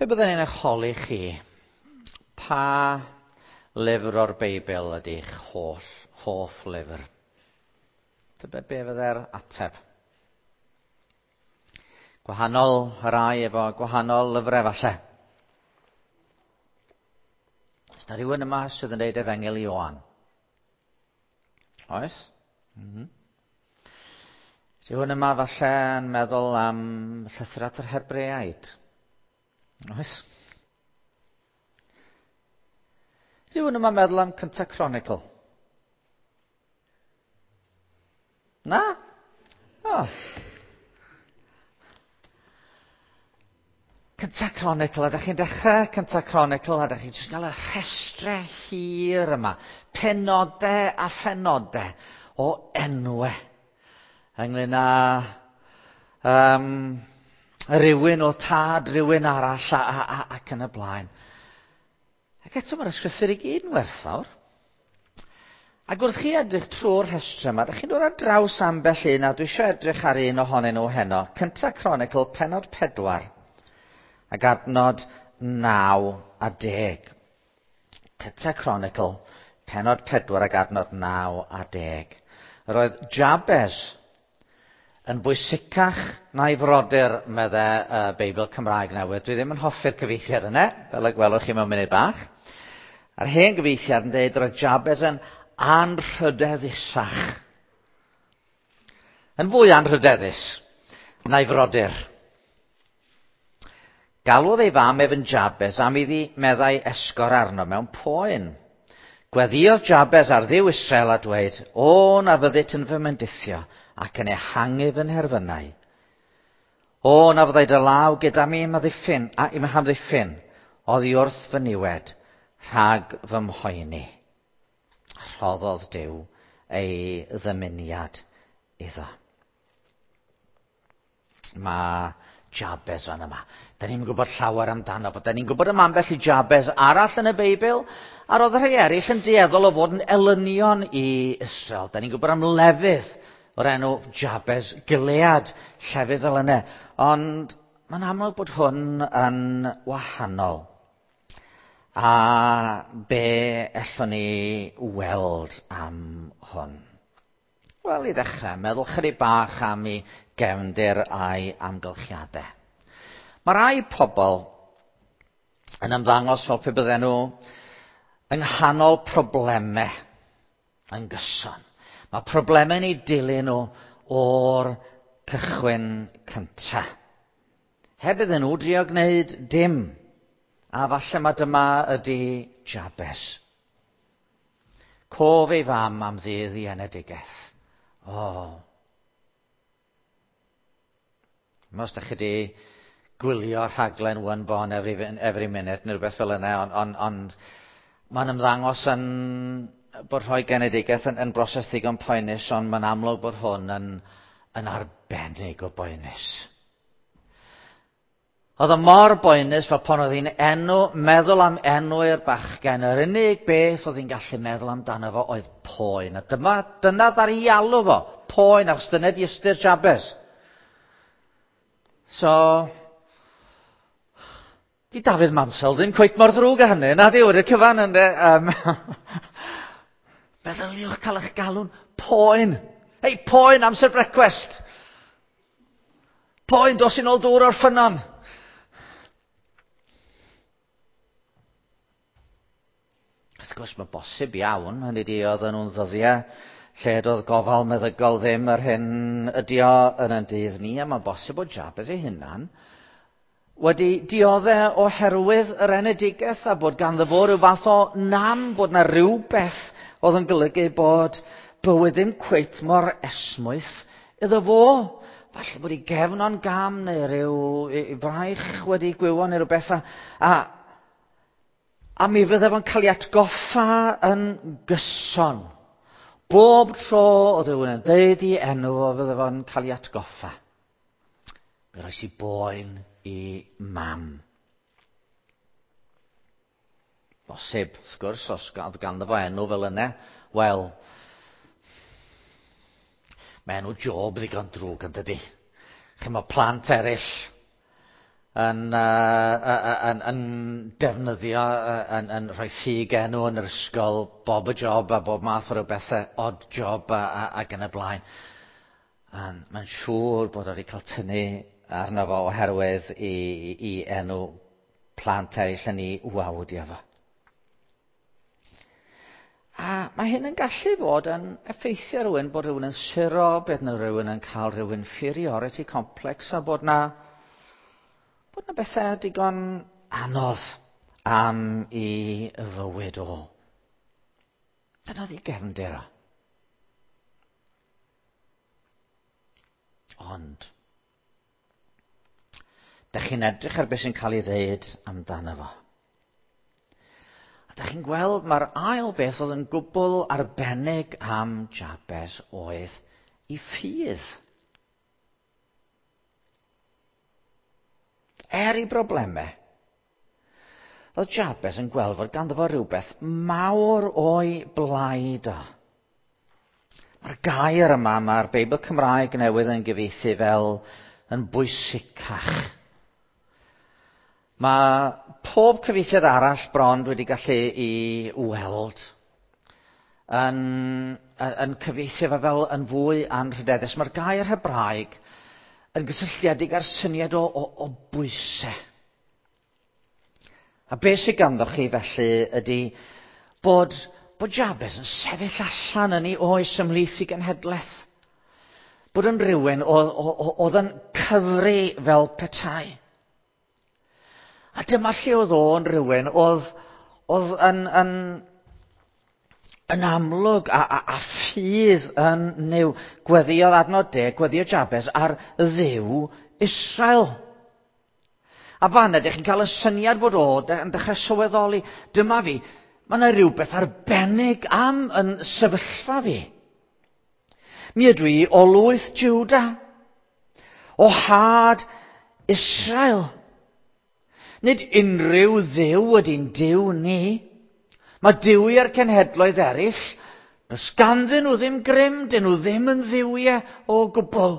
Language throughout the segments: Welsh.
Pe byddwn i'n eich holi chi, pa lyfr o'r Beibl ydy'ch holl, hoff lyfr? Tybed be fydde'r ateb? Gwahanol rai efo gwahanol lyfrau falle. Oes na rhywun yma sydd yn dweud Efengyl Ioan? Oes? Rhywun yma falle yn meddwl am llythyr at yr Hebreaid? Oes? Rhywun yma'n meddwl am Cynta Chronicle? Na? O. Cynta Chronicle, a da chi'n dechrau Cynta Chronicle, a da chi'n jyst gael y rhestre hir yma, penodau a phenodau o enwau ynglyn â rhywun o tad, rhywun arall, ac yn y blaen. Ac eto mae'r ysgrythur i gyd yn werthfawr. Ac wrth chi edrych trwy'r rhestr yma, dych chi'n dod ar draws ambell un, a dwi eisiau edrych ar un ohonyn nhw heno. Cynta Chronicle, pennod 4, ac adnod 9 a 10. Cynta Chronicle, pennod 4 ac adnod 9 a 10. Yr oedd Jabez yn bwysicach na'i frodyr, medde y Beibl Cymraeg Newydd. Dwi ddim yn hoffi'r cyfieithiad yna, fel y gwelwch chi mewn munud bach. A'r hen gyfieithiad yn dweud roedd Jabez yn anrhydeddusach. Yn fwy anrhydeddus na'i frodyr. Galwodd ei fam ef yn Jabez am iddi meddai esgor arno mewn poen. Gweddïodd Jabez ar Dduw Israel a dweud, O, na fyddit yn fy mendithio ac yn ehangu fy nherfynau. O, na fyddai dy law gyda mi i'm amddiffyn, a i'm hamddiffyn, oddi wrth fy niwed, rhag fy mhoeni. Rhoddodd Duw ei ddymuniad iddo. Mae Jabez fan yma. Da ni'n gwybod llawer amdano fo. Da ni'n gwybod am ambell i Jabez arall yn y Beibl, a roedd rhai eraill yn dueddol o fod yn elynion i Israel. Da ni'n gwybod am lefydd o'r enw Jabez Gilead, llefydd fel yna. Ond mae'n amlwg bod hwn yn wahanol. A be ellwn ni weld am hwn? Wel, i ddechrau, meddwl chydig bach am ei gefndir a'i amgylchiadau. Mae rai pobl yn ymddangos fel pe bydden nhw yng nghanol problemau yn gyson. Mae problemau'n eu dilyn nhw o'r cychwyn cyntaf. Heb iddyn nhw drio gwneud dim. A falle mae dyma ydy Jabez. Cof ei fam am ddydd i enedigaeth. O. Os da chi wedi gwylio rhaglen One Born Every, Every Minute neu rhywbeth fel yna, ond on, on, mae'n ymddangos yn bod rhoi genedigaeth yn, yn broses ddigon poenus, ond mae'n amlwg bod hwn yn, yn arbennig o boenus. Oedd o mor boenus fel pan oedd hi'n enw, meddwl am enw i'r bachgen, yr unig beth oedd hi'n gallu meddwl amdano fo oedd poen. A dyma, dyna ddar i alw fo, poen, achos dyna di ystyr Jabez. So, di Dafydd Mansell ddim cweit mor ddrwg â hynny, na di wedi'r cyfan yn de. Meddyliwch cael eich galw'n poen. Hei, poen amser brecwest. Poen, dos i'n ôl dŵr o'r ffynnon. Wrth gwrs, mae bosib iawn, hynny di oedden nhw'n ddyddiau lle doedd gofal meddygol ddim yr hyn ydi o yn ein dydd ni, a mae'n bosib bod Jabez ei hunan wedi dioddau oherwydd yr enedigaeth a bod ganddo fo rhyw fath o nam, bod na rhywbeth oedd yn golygu bod bywyd ddim cweit mor esmwyth iddo fo. Falle bod ei gefn o'n gam neu rhyw ei fraich wedi gwywo neu rhywbeth a, a mi fydde fo'n cael ei atgoffa yn gyson. Bob tro oedd rhywun yn deud i enw fo fydde fo'n cael ei atgoffa. Mi roes i boen i mam. Bosib, wrth gwrs, os oedd ganddo fo enw fel yna, wel, mae enw Job ddigon drwg yn dydi. Chymod, plant eraill. yn, uh, yn, yn defnyddio, yn, yn rhoi ffug enw yn yr ysgol, bob y job a bob math o rywbethau, odd job a, a, ac yn y blaen. Mae'n siŵr bod o wedi cael tynnu arno fo oherwydd i, i, i enw plant eraill yn ei wawdio fo. A mae hyn yn gallu fod yn effeithio rhywun, bod rhywun yn suro, bod yna rhywun yn cael rhyw inferiority complex a bod na, bod na bethau digon anodd am i fywyd o. Dyna oedd ei gefndir o. Ond, da chi'n edrych ar beth sy'n cael ei ddeud amdano fo. A da chi'n gweld mae'r ail beth oedd yn gwbl arbennig am Jabez oedd i ffydd. Er i broblemau, oedd Jabez yn gweld fod ganddo fo rhywbeth mawr o'i blaid o. Mae'r gair yma, mae'r Beibl Cymraeg newydd yn gyfieithu fel yn bwysicach. Mae pob cyfieithiad arall bron wedi gallu i weld yn, yn, yn cyfieithu fe fel yn fwy anrhydeddus. Mae'r gair Hebraeg yn gysylltiedig â'r syniad o, o, o bwysau. A beth sydd ganddo chi felly ydy bod, bod Jabez yn sefyll allan yn ei oes ymhlith i genhedlaeth. Bod yn rhywun oedd yn cyfri fel petai. A dyma lle oedd o'n rhywun oedd, oedd yn, yn, yn amlwg a, a, a ffydd yn new. Gweddiodd adnod de, gweddiodd Jabez ar ddiw Israel. A fan ydych chi'n cael y syniad bod o yn dechrau sylweddoli, dyma fi, mae yna rhywbeth arbennig am yn sefyllfa fi. Mi ydw i o lwyth Juda, o had Israel. Nid unrhyw ddiw ydy'n diw ni. Mae diwiau'r cenhedloedd eraill, does ganddyn nhw ddim grym, dyn nhw ddim yn ddiwiau o gwbl.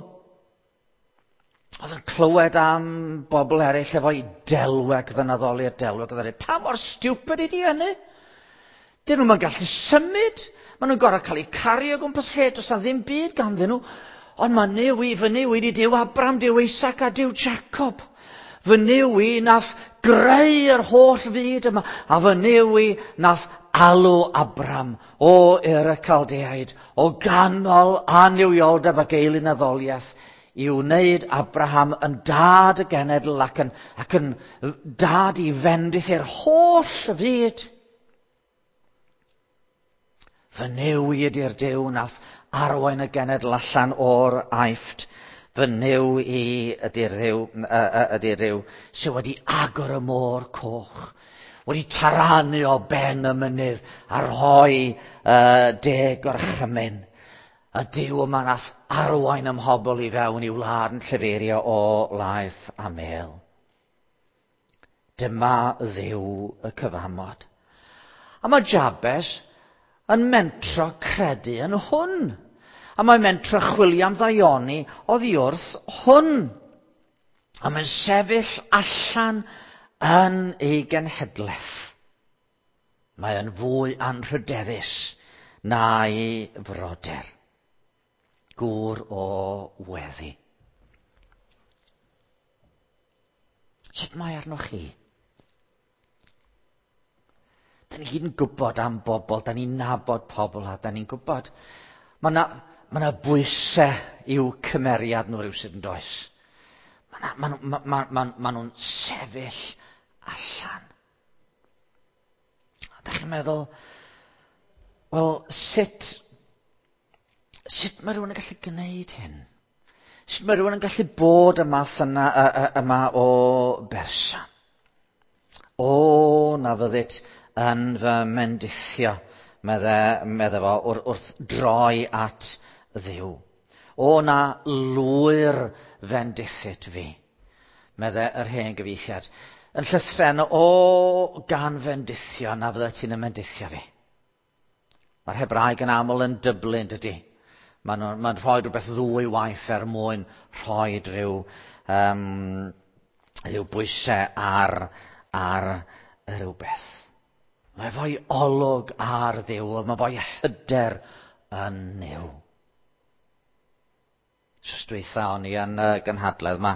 Oedd yn clywed am bobl eraill efo'i delweg ddynaddoli'r delweg. Oedd yn pa mor stupid ydi hynny? Dyn nhw'n gallu symud. Maen nhw'n gorau cael eu cario o gwmpas lle, does na ddim byd ganddyn nhw. Ond mae Nuw i, fy Nuw i di Duw Abram, Duw Isaac a Duw Jacob. Fy Nuw i nath greu yr holl fyd yma, a fy Nuw i nath alw Abram o Ur y Caldeaid, o ganol annuwioldeb ac eilunaddoliaeth, i wneud Abraham yn dad y genedl ac yn, ac yn dad i fendith i'r holl fyd. Fy Nuw i ydy'r Duw nath arwain y genedl allan o'r Aifft. Fy Nuw i ydy'r Dduw, ydy'r Dduw sydd wedi agor y môr coch, wedi taranu o ben y mynydd a rhoi uh, deg gorchymyn. Y Duw yma nath arwain ym mhobl i fewn i wlad yn llefeirio o laeth a mel. Dyma Dduw y cyfamod. A mae Jabes yn mentro credu yn hwn. A mae'n mentro chwilio am ddaioni oddi wrth hwn. A mae'n sefyll allan yn ei genhedlaeth. Mae yn fwy anrhydeddus na'i frodyr. Gŵr o weddi. Sut mae arnoch chi? Da ni gyd yn gwybod am bobl, da ni'n nabod pobl a da ni'n gwybod. Mae yna ma na bwysau i'w cymeriad nhw rhywsut yn does. Mae ma, ma, ma, ma, ma nhw'n sefyll allan. A da chi'n meddwl, wel, sut, sut mae rhywun yn gallu gwneud hyn? Sut mae rhywun yn gallu bod y math yna, yma o berson? O, na fyddit yn fy mendithio, medde, medde fo, wrth, wrth droi at Dduw. O, na lwyr fendithit fi, medde yr hen gyfieithiad. Yn llythren, o gan fendithio, na fyddet ti'n y mendithio fi. Mae'r Hebraeg yn aml yn dyblu, yn dydy? Mae'n ma rhoi rhywbeth ddwy waith er mwyn rhoi rhyw, um, Rhyw bwysau ar, ar rhywbeth. Mae fo'i olwg ar Dduw, mae fo'i hyder yn Nuw. Wsos dwytha o'n i yn y gynhadledd yma,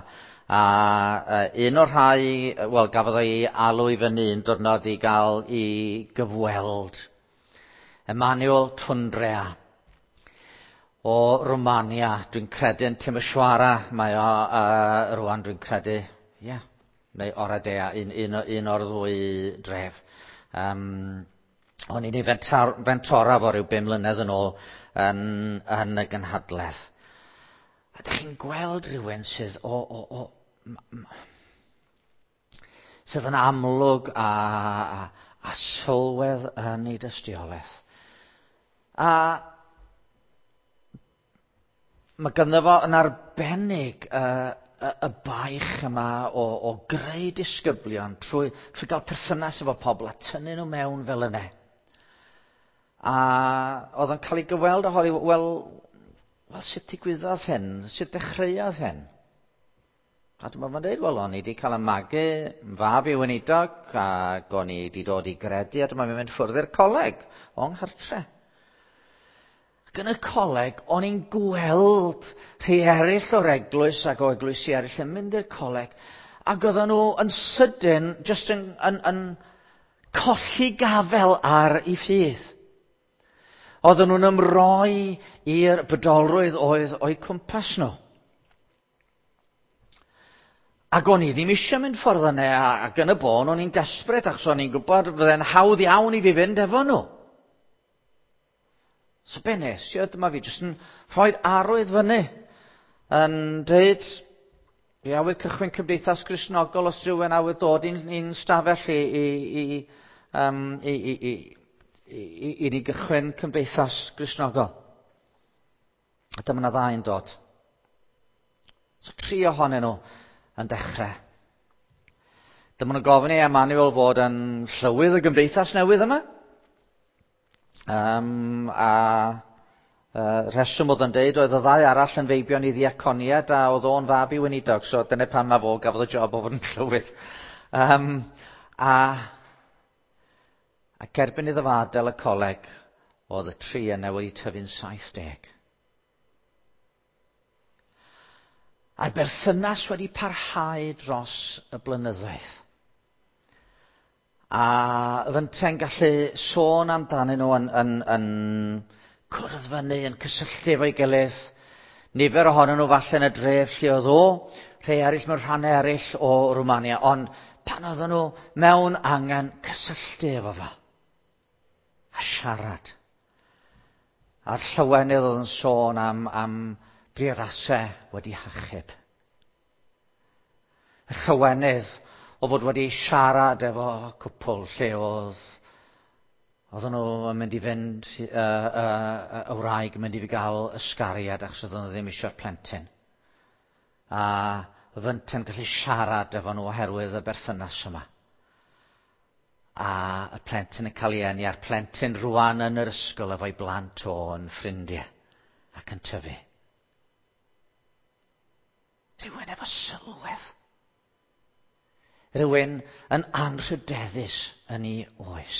a un o'r rhai, wel, gafodd o'i alw i fyny un diwrnod i gael i gyfweld. Emanuel Tundrea o Romania, dwi'n credu yn Timisoara, mae o uh, rwan dwi'n credu, ie, yeah, neu Oradea, un, un, un o'r ddwy dref. Um, o'n i'n ei fentor, fentora fo rhyw bum mlynedd yn ôl yn, yn y gynhadledd. A ydych chi'n gweld rhywun sydd o, o, o, sydd yn amlwg a, a, a sylwedd yn ei dystiolaeth. A mae ganddo fo yn arbennig y, y, y baich yma o, o greu disgyblion trwy, trwy gael perthynas efo pobl a tynnu nhw mewn fel yna. A oedd o'n cael ei gyfweld a holi, wel, wel, sut digwyddodd hyn? Sut dechreuodd hyn? A dyma fo'n dweud, wel, o'n i wedi cael y magu yn fab i weinidog, ac o'n i wedi dod i gredu, a dyma fi'n mynd ffwrdd i'r coleg, o'n nghartre. Ac yn y coleg, o'n i'n gweld rhai eraill o'r eglwys ac o eglwysi eraill yn mynd i'r coleg, ac oedden nhw yn sydyn, jyst yn, yn, yn colli gafel ar ei ffydd. Oedden nhw'n ymroi i'r bydolrwydd oedd o'u cwmpas nhw. Ac o'n i ddim eisiau mynd ffordd yna, ac yn y bôn o'n i'n desbryd achos o'n i'n gwybod fydde'n hawdd iawn i fi fynd efo nhw. So be nes i, dyma fi jyst yn rhoi'r arwydd fyny yn dweud, fi awydd cychwyn cymdeithas Gristnogol os rhywun awydd dod i'n, i'n stafell i, i, i, um, i, i, i, i, i ni gychwyn cymdeithas Gristnogol. A dyma na ddau'n dod. So tri ohonyn nhw yn dechrau. Dyma nhw'n gofyn i Emmanuel fod yn llywydd y gymdeithas newydd yma. Um, a uh, rheswm oedd yn deud oedd y ddau arall yn feibion i ddiaconiad a oedd o'n fab i weinidog, so dyna pan mae fo gafodd y job o fod yn llywydd. Um, a, ac erbyn iddo fo adael y coleg, oedd y tri yna wedi tyfu'n 70. A'r berthynas wedi parhau dros y blynyddoedd. A fynte'n gallu sôn amdanyn nhw yn, yn, yn cwrdd fyny, yn cysylltu efo'i gilydd. Nifer ohonyn nhw falle yn y dref lle oedd o, rhai eraill mewn rhannau eraill o Rwmania, ond pan oedden nhw mewn angen cysylltu efo fo a siarad. A'r llywenydd oedd yn sôn am, am briodasau wedi hachub. Y llywenydd o fod wedi siarad efo cwpl lle oedd oedden nhw yn mynd i fynd, uh, uh, y wraig yn mynd i fi gael ysgariad achos oedden nhw ddim eisiau'r plentyn. A fynte'n gallu siarad efo nhw oherwydd y berthynas yma. A y plentyn yn cael ei eni, a'r plentyn rwan yn yr ysgol efo'i blant o yn ffrindiau ac yn tyfu. Rhywun efo sylwedd. Rhywun yn anrhydeddus yn ei oes.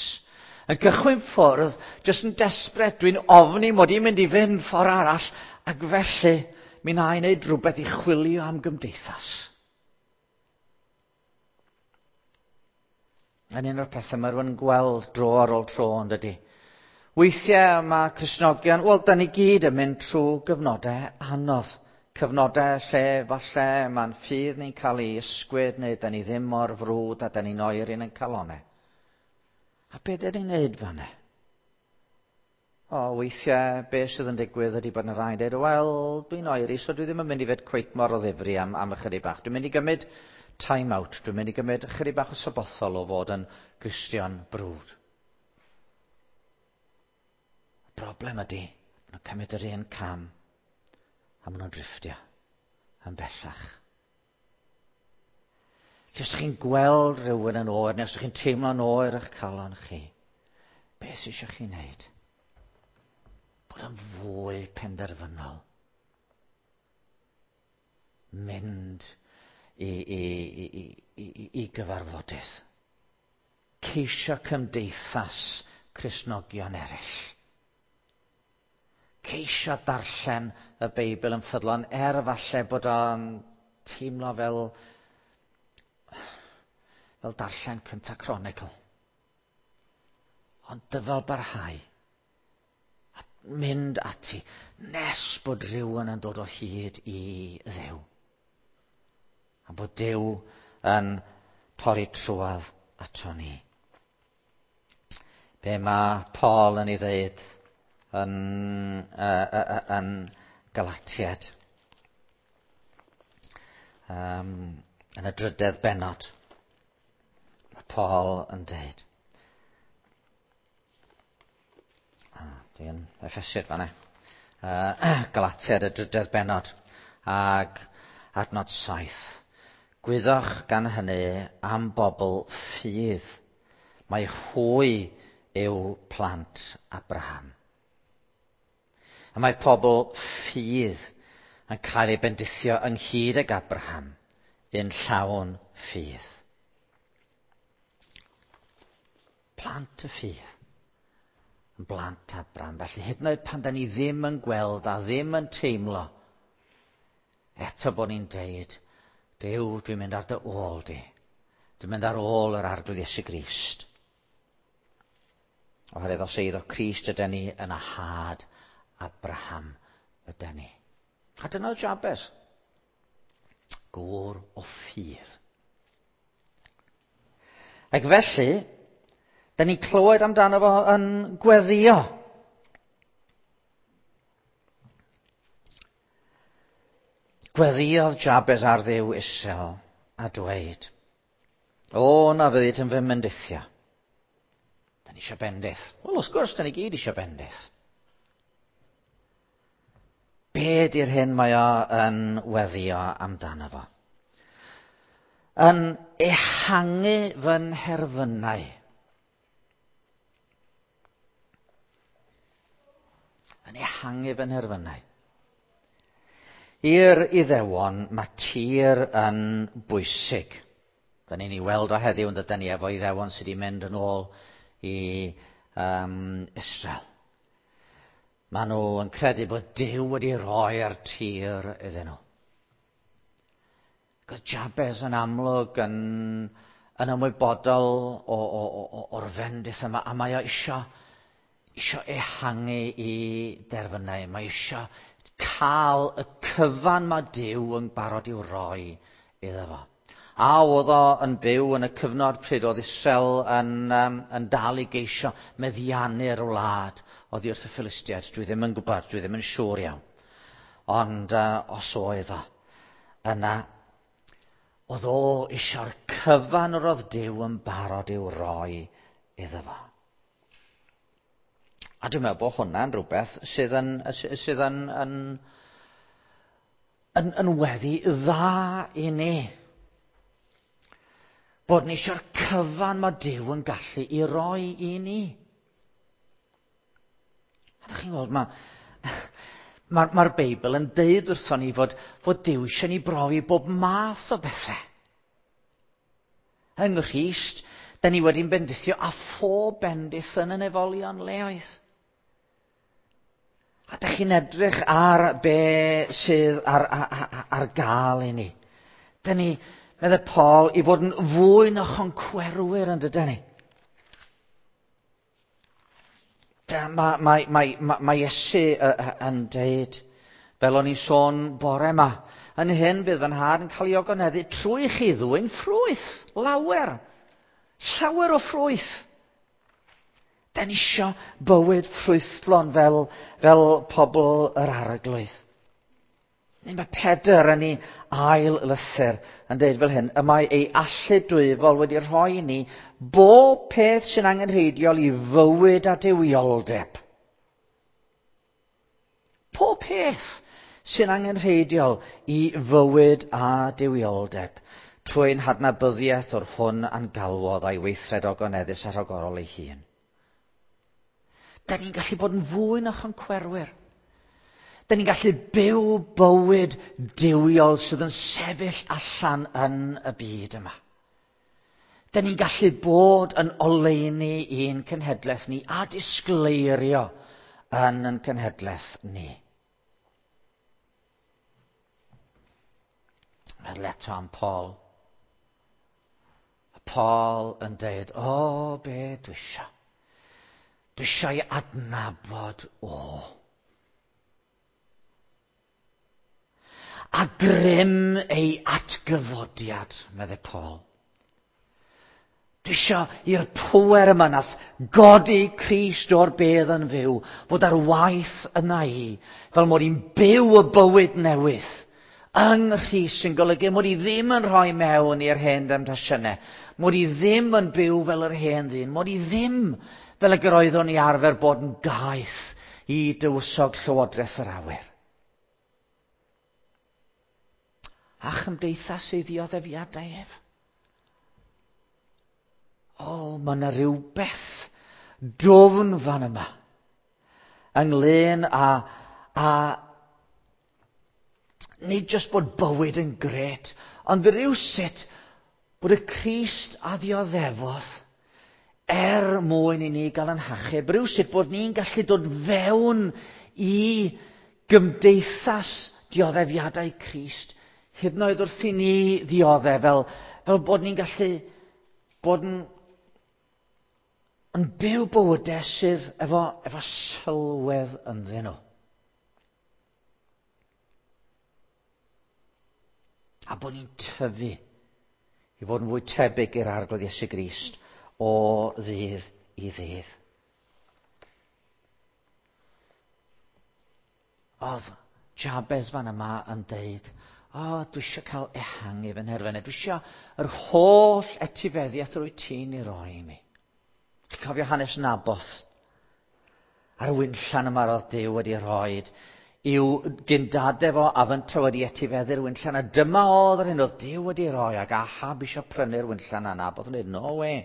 Yn gychwyn ffwrdd, jyst yn desbryd, dwi'n ofni mod i'n mynd i fynd ffordd arall, ac felly mi na i wneud rhywbeth i chwilio am gymdeithas. Yn un o'r pethau mae rhywun yn gweld dro ar ôl tro, yn dydy. Weithiau mae Cristnogion, wel, da ni gyd yn mynd trwy gyfnodau anodd. Cyfnodau lle falle mae'n ffydd ni'n cael ei ysgwyd neu da ni ddim mor frwd a da ni'n oer yn ein calonau. A be da ni'n neud fanna? O, weithiau be sydd yn digwydd ydy bod yna rhai'n dweud, wel, dwi'n oeri, so dwi ddim yn mynd i fod cweit mor o ddifri am, am ychydig bach. Dwi'n mynd i gymryd time out, dwi'n mynd i gymryd ychydig bach o sabothol o fod yn Gristion brwd. Y broblem ydy, maen nhw'n cymryd yr un cam a maen nhw'n drifftio yn bellach. Lle os chi'n gweld rhywun yn oer, neu os chi'n teimlo'n oer eich calon chi, beth sydd eisiau chi wneud? Bod yn fwy penderfynol. Mynd i, i, i, i, i gyfarfodydd. Ceisio cymdeithas Cristnogion eraill. Ceisio darllen y Beibl yn ffyddlon, er falle bod o'n teimlo fel, fel darllen cynta Chronicle. Ond dyfal barhau a mynd ati nes bod rhywun yn dod o hyd i Dduw. A bod Duw yn torri trwadd ato ni. Be mae Paul yn ei ddeud yn, yn Galatiad. Yn y drydedd bennod. Mae Paul yn deud. Ah, dwi'n Effesiad fanna. Galatiad y drydedd bennod. Ag adnod 7. Gwyddoch gan hynny am bobl ffydd. Mae hwy yw plant Abraham. A mae pobl ffydd yn cael ei bendithio ynghyd ag Abraham yn llawn ffydd. Plant y ffydd yn blant Abraham. Felly hyd yn oed pan da ni ddim yn gweld a ddim yn teimlo, eto bod ni'n deud, Duw, dwi'n mynd ar dy ôl di. Dwi'n mynd ar ôl yr Arglwydd Iesu Grist. Oherwydd os eiddo Crist ydy ni yn y had Abraham ydy ni. A dyna oedd Jabez. Gŵr o ffydd. Ac felly, da ni'n clywed amdano fo yn gweddio. Gweddiodd Jabez ar Dduw isel a dweud, O, na fyddit yn fy mendithio. Da ni eisiau bendith. Wel, wrth gwrs, da ni gyd eisiau bendith. Be di'r hyn mae o yn weddio amdano fo? Yn ehangu fy nherfynau. Yn ehangu fy nherfynau. I'r Iddewon, mae tir yn bwysig. Da ni'n ei weld o heddiw yn dydyn ni efo Iddewon sydd wedi mynd yn ôl i um, Israel. Maen nhw yn credu bod Duw wedi rhoi'r tir iddyn nhw. Ac oedd Jabez yn amlwg yn, yn ymwybodol o, o, o, o'r fendith yma, a mae o isio, isio ehangu i derfynau. Mae isio cael y cyfan mae Duw yn barod i'w roi iddo fo. A oedd o yn byw yn y cyfnod pryd oedd Israel yn, um, yn dal i geisio meddiannu'r wlad oddi wrth y Philistiaid. Dwi ddim yn gwybod, dwi ddim yn siŵr iawn. Ond uh, os oedd o, yna, oedd o eisiau'r cyfan yr oedd Duw yn barod i'w roi iddo fo. A dwi'n meddwl bod hwnna'n rhywbeth sydd yn, sydd yn, yn, yn, yn weddi dda i ni. Bod ni eisiau'r cyfan mae Duw yn gallu i roi i ni. A ydych chi'n gweld, mae'r ma, ma Beibl yn deud wrthon ni fod, fod Duw eisiau ni brofi bob math o bethau. Yng Nghrist, da ni wedi'n bendithio a phob bendith yn y nefolion leoedd. A da chi'n edrych ar be sydd ar, ar, ar gael i ni. Da ni, meddai Paul, i fod yn fwy na choncwerwyr yn dydyn ni. Mae, mae, mae, mae, mae Iesu yn deud, fel o'n i'n sôn bore yma, yn hyn bydd fy nhad yn cael ei ogoneddu trwy chi ddwyn ffrwyth, lawer. Llawer o ffrwyth. Da ni isio bywyd ffrwythlon fel, fel pobl yr arglwydd. Neu mae Pedr yn ei ail lythyr yn dweud fel hyn, y mae ei allu dwyfol wedi rhoi i ni bob peth sy'n angenrheidiol i fywyd a duwioldeb. Pob peth sy'n angenrheidiol i fywyd a duwioldeb, trwy'n hadnabyddiaeth o'r hwn a'n galwodd a'i weithred ogoneddus a rhagorol ei hun. Da ni'n gallu bod yn fwy na choncwerwyr. Da ni'n gallu byw bywyd duwiol sydd yn sefyll allan yn y byd yma. Da ni'n gallu bod yn oleuni i'n cenhedlaeth ni a disgleirio yn ein cenhedlaeth ni. Meddwl eto am Paul. A Paul yn deud, o, be dwi isio? Dwi isio i adnabod o. A grym ei atgyfodiad, meddai Paul. Dwi isio i'r pŵer yma nath godi Crist o'r bedd yn fyw fod ar waith yna i, fel mod i'n byw y bywyd newydd yng Nghrist, sy'n golygu mod i ddim yn rhoi mewn i'r hen demtasiynau, mod i ddim yn byw fel yr hen ddyn, mod i ddim fel y gyroeddwn i arfer bod yn gaeth i dywysog llywodraeth yr awyr. A chymdeithas ei ddioddefiadau ef. O, mae yna rhywbeth dwfn fan yma ynglyn â nid jyst bod bywyd yn gret, ond rhywsut bod y Crist a ddioddefodd er mwyn i ni gael yn hachub, rhywsut bod ni'n gallu dod fewn i gymdeithas dioddefiadau Crist, hyd yn oed wrth i ni ddioddef, fel bod ni'n gallu bod yn byw bywydau sydd efo sylwedd ynddyn nhw. A bod ni'n tyfu i fod yn fwy tebyg i'r Arglwydd Iesu Grist o ddydd i ddydd. Oedd Jabez fan yma yn deud, o, dwi eisiau cael ehangu fy nherfynau. Dwi eisiau yr holl etifeddiaeth rwy ti'n ei roi i mi. Chi'n cofio hanes Naboth? A'r winllan yma roedd Duw wedi rhoi i'w gyndadau fo a fynta wedi etifeddu'r winllan. A dyma oedd yr hyn oedd Duw wedi rhoi, ac Ahab eisiau prynu'r winllan a Naboth yn dweud, no way,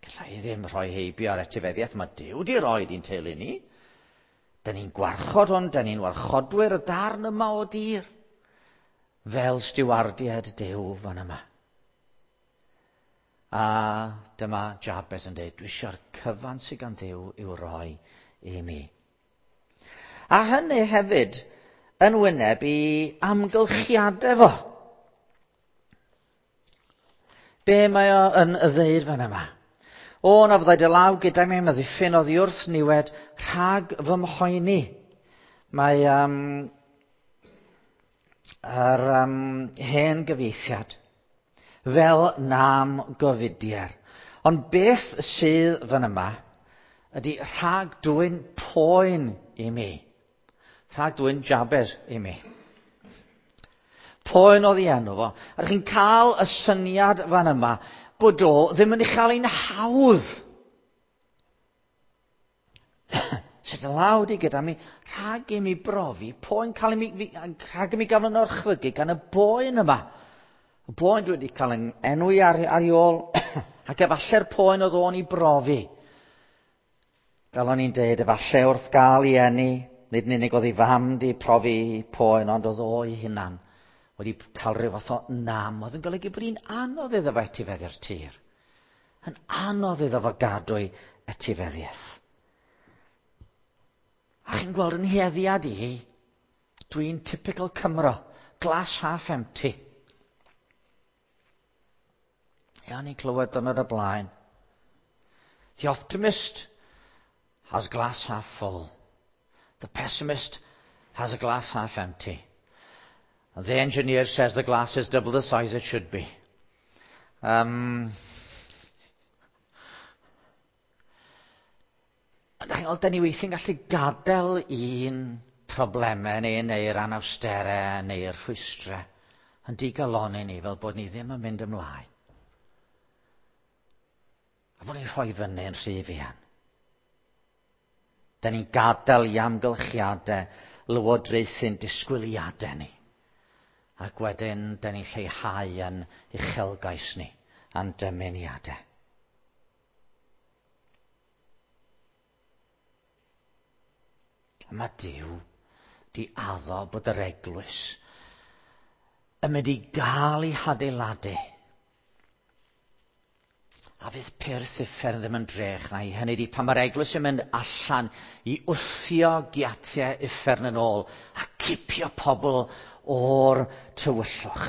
galla i ddim rhoi heibio ar etifeddiaeth, mae Duw wedi rhoi i'n teulu ni. Da ni'n gwarchod hwn, da ni'n warchodwyr y darn yma o dir, fel stiwardiaid Duw fan yma. A dyma Jabez yn dweud, dwi eisiau'r cyfan sydd gan Dduw i'w roi i mi. A hynny hefyd yn wyneb i amgylchiadau fo. Be mae o yn y ddeud fan yma? O, na fyddai dy law gyda mi am ddiffyn oddi wrth niwed rhag fy mhoeni. Mae yr hen gyfieithiad fel nam gofidier. Ond beth sydd fan yma ydy rhag dwyn poen i mi. Rhag dwyn Jabez i mi. Poen oedd ei enw fo. A chi'n cael y syniad fan yma bod o ddim yn ei chael ein hawdd. Sut y lawd i gyda mi, rhag i mi brofi, poen cael i mi, rhag i mi gael yn orchfygu gan y boen yma. Y boen dwi wedi cael yn enwi ar ei ôl, ac efallai'r poen oedd o'n i brofi. Fel o'n i'n deud, efallai wrth gael ei eni, nid yn unig oedd ei fam di profi poen, ond oedd o'i hunan wedi cael rhyw fath o nam, oedd yn golygu bod hi'n anodd iddo fo etifeddu'r tir. Yn anodd iddo fo gadw ei etifeddiaeth. A chi'n gweld yn heddiad i, dwi'n typical Cymro, glass half empty. Ia, ni'n clywed dynod y blaen. The optimist has glass half full. The pessimist has a glass half empty. And the engineer says the glass is double the size it should be. Da ni weithiau'n gallu gadael un problemau neu neu'r anawsterau neu'r rhwystrau yn digalonni ni fel bod ni ddim yn mynd ymlaen. A bod ni'n rhoi fyny yn rhy fuan. Da ni'n gadael i amgylchiadau lywodraethu'n disgwyliadau ni. Ac wedyn, da ni'n lleihau yn uchelgais ni, a'n dymuniadau. A mae Duw di addo bod yr eglwys yn mynd i gael ei hadeiladu. A fydd pyrth uffern ddim yn drech na i. Hynny ydi, pan mae'r eglwys yn mynd allan i wthio giatiau uffern yn ôl a cipio pobl o'r tywyllwch.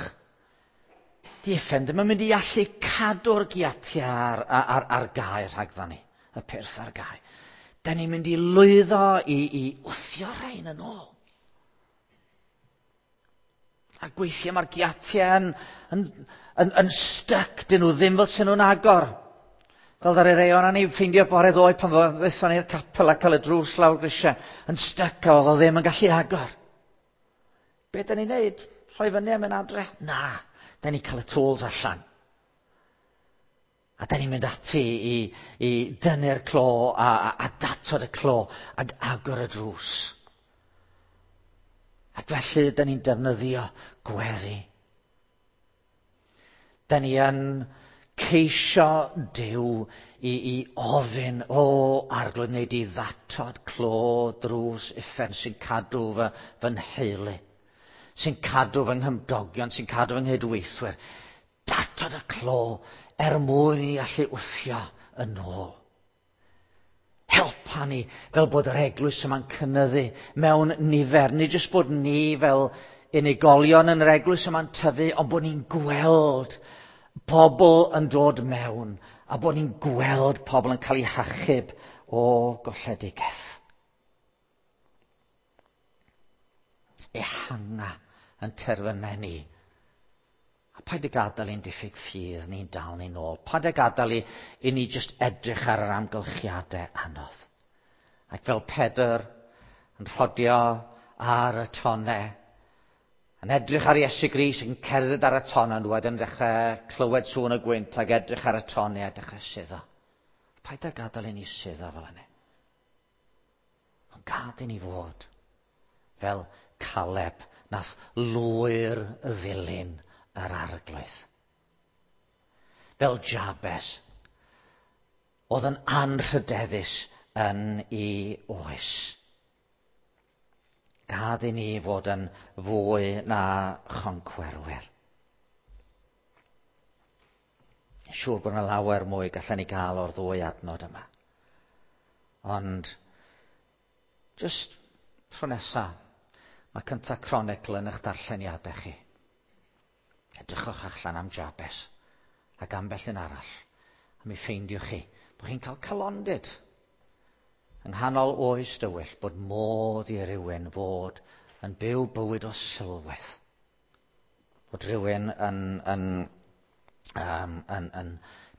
Di uffern ddim yn mynd i allu cadw'r giatiau ar, ar, ar gau rhagddo ni, y pyrth ar gau. Da ni'n mynd i lwyddo i, i wthio rhain yn ôl. A gweithiau mae'r giatiau yn, yn, yn, yn styc, dyn nhw ddim fel sy'n nhw'n agor. Fel ddaru rei o'n ni ffeindio bore ddoe pan ddaethon ni'r capel a cael y drws lawr grisiau, yn styc a oedd o ddim yn gallu agor. Be da ni'n neud? Rhoi fyny a mynd adre? Na, da ni'n cael y tools allan. A da ni'n mynd ati i, i dynnu'r clo a, a, a datod y clo ac agor y drws. Ac felly, da ni'n defnyddio gweddi. Da ni yn ceisio Duw i, i ofyn, o arglwydd, wneud i ddatod clo drws uffern sy'n cadw fy, fy nheulu, sy'n cadw fy nghymdogion, sy'n cadw fy nghydweithwyr. Datod y clo er mwyn i allu wthio yn ôl. Helpa ni fel bod yr eglwys yma'n cynyddu mewn nifer. Nid jyst bod ni fel unigolion yn yr eglwys yma'n tyfu, ond bod ni'n gweld pobl yn dod mewn a bod ni'n gweld pobl yn cael eu hachub o golledigaeth. Ehanga yn terfynau ni. A paid y gadael i'n diffyg ffydd ni'n dal ni'n ôl. Paid y gadael i, i ni jyst edrych ar yr amgylchiadau anodd. Ac fel Pedr yn rhodio ar y tonau, yn edrych ar Iesu Grist yn cerdded ar y tonau, yn wedyn dechrau clywed sŵn y gwynt ac edrych ar y tonau a dechrau suddo. Paid â gadael i ni suddo fel hynny. Ond gad i ni fod fel Caleb nath lwyr ddilyn yr arglwydd. Fel Jabes, oedd yn anrhydeddus yn ei oes. Gad i ni fod yn fwy na choncwerwyr. Siŵr bod yna lawer mwy gallen ni gael o'r ddwy adnod yma. Ond, just tro nesa, mae cynta Cronicl yn eich darlleniadau chi. Edrychwch allan am Jabes ac ambell un arall, a mi ffeindiwch chi bod chi'n cael calondid yng nghanol oes dywyll bod modd i rywun fod yn byw bywyd o sylwedd. Bod rhywun yn, yn, um, yn, yn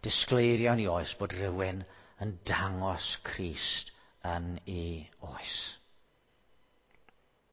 disgleirio yn ei oes, bod rhywun yn dangos Crist yn ei oes.